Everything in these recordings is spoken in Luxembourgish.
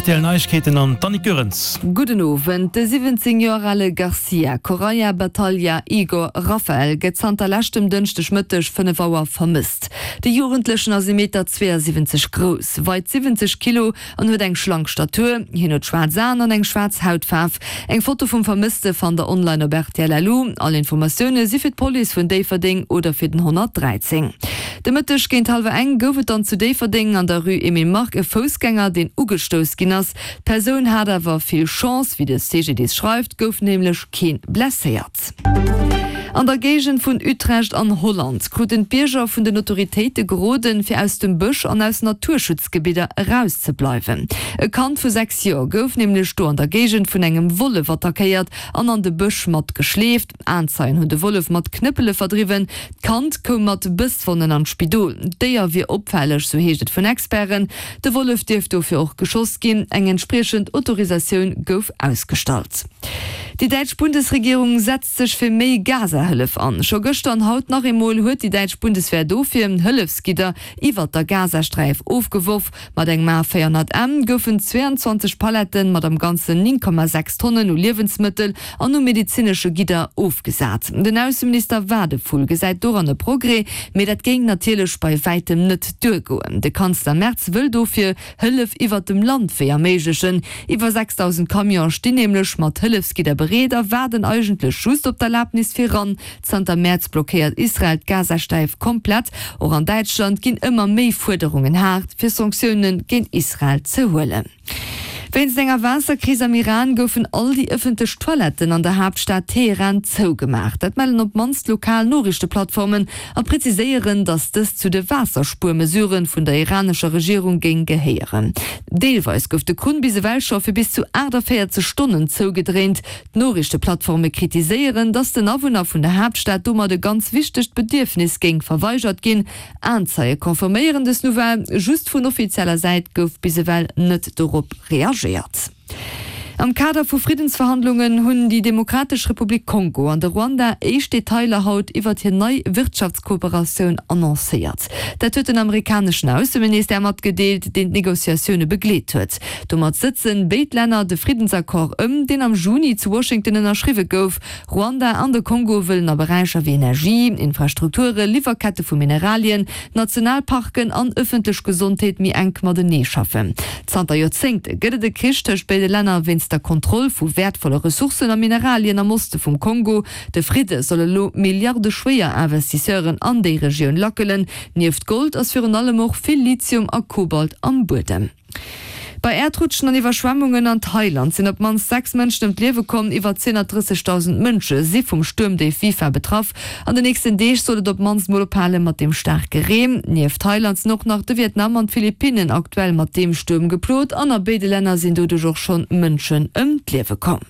Rtl Neiegkeeten an d'Annick Goerens. Gudden Owend. De 17 Joer ale Garcia Correia Batalha Igor Rafael gëtt zanter leschtem Dënschdeg Mëtteg 5 Auer vermësst. De Jugendlechen ass ee Meter 72 grouss, weit 70 Kilo an huet eng schlank Statur. Hien huet schwaarz Aen an eng schwaarz Hautfaarf. Eng Foto vum Vermësste fannt der online op rtl.lu. All Informatioune si fir d'Police vun Déifferdeng oder fir den 113. De Mëtteg géint hallwer eng gouf et dann zu Déifferdeng an der Rue Emile Mark e Foussgänger, deen ugestouss ginn ass. D'Persoun hat awer vill Chance, wéi de CGDIS schreift, gouf nämlech kee blesséiert. An der Géigend vun Utrecht an Holland kruten d'Bierger vun den Autoritéite geroden, fir aus dem Bësch an aus Naturschutzgebidder erauszebleiwen. E Kand vu 6 Joer gouf nämlech do an der Géigend vun engem Wollef attackéiert an an de Bësch mat geschleeft. Aenzeien hunn de Wollef mat Knëppele verdriwwen. D'Kand koum mat Bësswonnen an d'Spidol. D'Déier wier opfälleg, sou heescht et vun Experten. De Wollef dierft dofir och geschoss ginn. Eng entspriechend Autorisatioun gouf ausgestallt. Déi däitsch Bundesregierung setzt sech fir méi Gaza-Hëllef an. Scho gëschter an haut nach eemol huet déi däitsch Bundeswehr dofir Hëllefsgidder iwwert der Gazasträif ofgeworf. Mat engem A 400 M goufen 22 Paletten mat am Ganzen 9,6 Tonnen u Liewensmëttel an u medezinesche Gidder ofgesat. Den Ausseminister Wadephul gesäit doran e Progrès, mee dat géing natierlech bei wäitem net duergoen. De Kanzler Merz wëll dofir Hëllef iwwert dem Landwee erméiglechen. Iwwer 6.000 Camionen stinn nämlech mat Hëllefsgidder bereet a waarden eigentlech just op d'Erlabnis fir ran. Zanter Mäerz blockéiert Israel d'Gazastäif komplett. Och an Däitschland ginn ëmmer méi Fuerderungen haart, fir Sanktioune géint Israel ze huelen. Wéinst enger Waasserkris am Iran goufen all déi ëffentlech Toiletten an der Haaptstad Teheran zougemaach. Dat mellen op d'mannst lokal Noriichteplattformen a preziséieren, datt dëst zu de Waasserspuermesurë vun der iranescher Regierung géing gehéieren. Deelweis gouf de Krunn bis ewell scho fir bis zu 48 Stonnen zougedréint. D'Noriichteplattforme kritiséieren, datt den Awunner vun der Haaptstad domat e ganz wichtegt Bedierfnis géing verweigert ginn. Aenzeie confirméieren dës Nouvelle, just vun offizieller Säit gouf bis ewell net dorop reagéiert. Am Kader vu Friddensverhandlungen hunn déi Demokratesch Republik Kongo an de Ruanda éischt Detailer haut iwwert hir nei Wirtschaftskooperatioun annoncéiert. Dat huet den amerikaneschen Ausseministère matgedeelt, deen d'Negociatioune begleet huet. Domat sëtzen béid Länner de Friddensaccord ëm, deen am Juni zu Washington ënnerschriwwe gouf. Ruanda an de Kongo wëllen a Beräicher wéi Energie, Infrastrukture, Liwwerkette vu Mineralien, Nationalparken an ëffentlech Gesondheet méi enk matenee schaffen. Zanter Joerzéngte gëtt et e Krich tëscht béide Länner wéinst der Kontroll vu wäertvolle Ressourcen a Mineralien am Oste vum Kongo. De Fridde soll elo milliardeschwéier Investisseuren an déi Regioun lackelen. Nieft Gold ass virun allem och vill Lithium a Kobalt am Buedem. Bei Äerdrutschen an Iwwerschwemmungen an Thailand sinn op d'mannst 6 Mënschen ëm d'Liewe komm. Iwwer 230.000 Mënsche si vum Stuermdéif Wipha betraff. An den nächsten Deeg soll et op d'mannst mol ophale mat deem staarke Reen. Nieft Thailand sinn och nach de Vietnam an d'Philippinnen aktuell mat deem Stuerm geplot an a béide Länner sinn doduerch och schonn Mënschen ëm d'Liewe komm.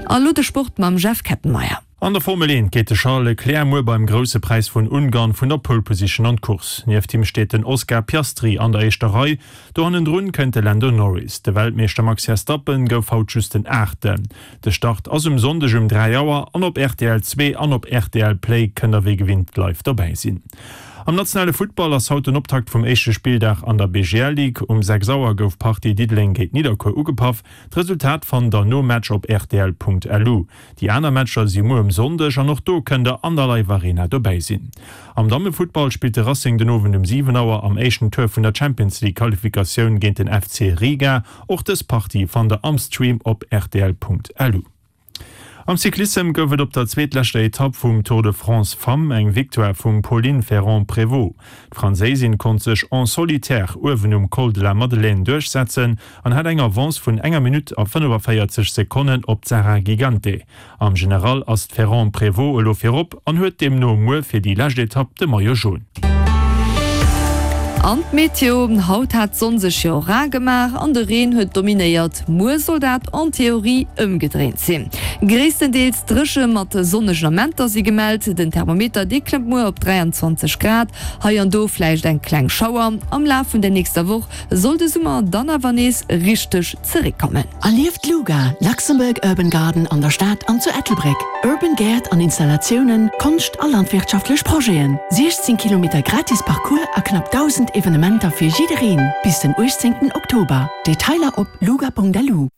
A lo de Sport mam Jeff Kettenmeyer. An der Formel 1 geet de Charles Leclerc muer beim Grousse Präis vun Ungarn vun der Pole Position an d'Course. Nieft him steet den Oscar Piastri an der éischter Rei. Do hannendrun kënnt de Lando Norris. De Weltmeeschter Max Verstappen gouf haut just den Aachten. De Start ass um Sonndeg um 3 Auer an op rtl 2 an op rtl Play kënnt der wéi gewinnt live dobäi sinn. Am nationale Futtball ass haut den Optakt vum éischte Spilldag an der BGL Ligue. Um 6 Auer gouf d'Partie Diddeleng géint Nidderkuer ugepaff. D'Resultat fannt der nom Match op rtl.lu. Déi aner Matcher si muer um Sonndeg an och do kënnt der an der Live Arena dobäi sinn. Am Dammefuttball spillt de Racing den Owend um 7 Auer am éischten Tour vun der Champions League Qualifikatioun géint den FC Riga. Och dës Partie fannt der am Stream op rtl.lu. Am Cyclissem gouf et op der zweetleschter Etapp vum Tour de France Femmes eng Victoire vum Pauline Ferrand-Prévot. D'Franséisin konnt sech en solitaire uewen um Col de la Madeleine duerchsetzen an hat eng Avance vun enger Minutt a 45 Sekonnen op d'Sarah Gigante. Am General ass d'Ferrand-Prévot elo virop an huet deemno muer fir déi lescht Etapp de Maillot Jaune. An d'Meteo, Haut hat d'Sonn sech jo rar gemaach an de Reen huet dominéiert. Muer soll dat en Theorie ëmgedréint sinn. Gréisstendeels dréche mat sonnegen Amenter si gemellt. Den Thermometer dee klëmmt muer op 23 Grad, hei an do vläicht eng kleng Schauer. Am Laf vun der nächster Woch soll de Summer dann awer nees richteg zeréckkommen. Erlieft d'LUGA, Luxembourg Urban Garden an der Stad an zu Ettelbréck. Urban Gäert an Installatiounen, Konscht a landwirtschaftlech Projeten. 16 Kilometer gratis Parcours a knapp 1.000 Evenementer fir jiddereen bis den 18 Oktober. Detailer op luga.lu.